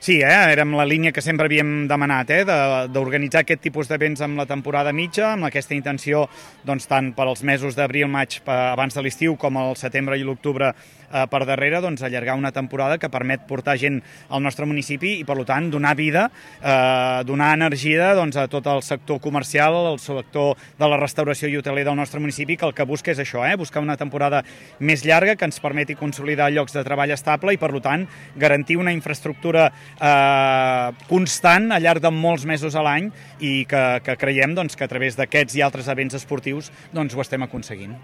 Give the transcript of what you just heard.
Sí, érem la línia que sempre havíem demanat, d'organitzar aquest tipus d'events amb la temporada mitja, amb aquesta intenció doncs, tant per als mesos d'abril, maig abans de l'estiu com el setembre i l'octubre per darrere, doncs, allargar una temporada que permet portar gent al nostre municipi i, per tant, donar vida, donar energia doncs, a tot el sector comercial, el sector de la restauració i hoteler del nostre municipi, que el que busca és això, buscar una temporada més llarga que ens permeti consolidar llocs de treball estable i, per tant, garantir una infraestructura constant al llarg de molts mesos a l'any i que creiem doncs, que a través d'aquests i altres events esportius doncs, ho estem aconseguint.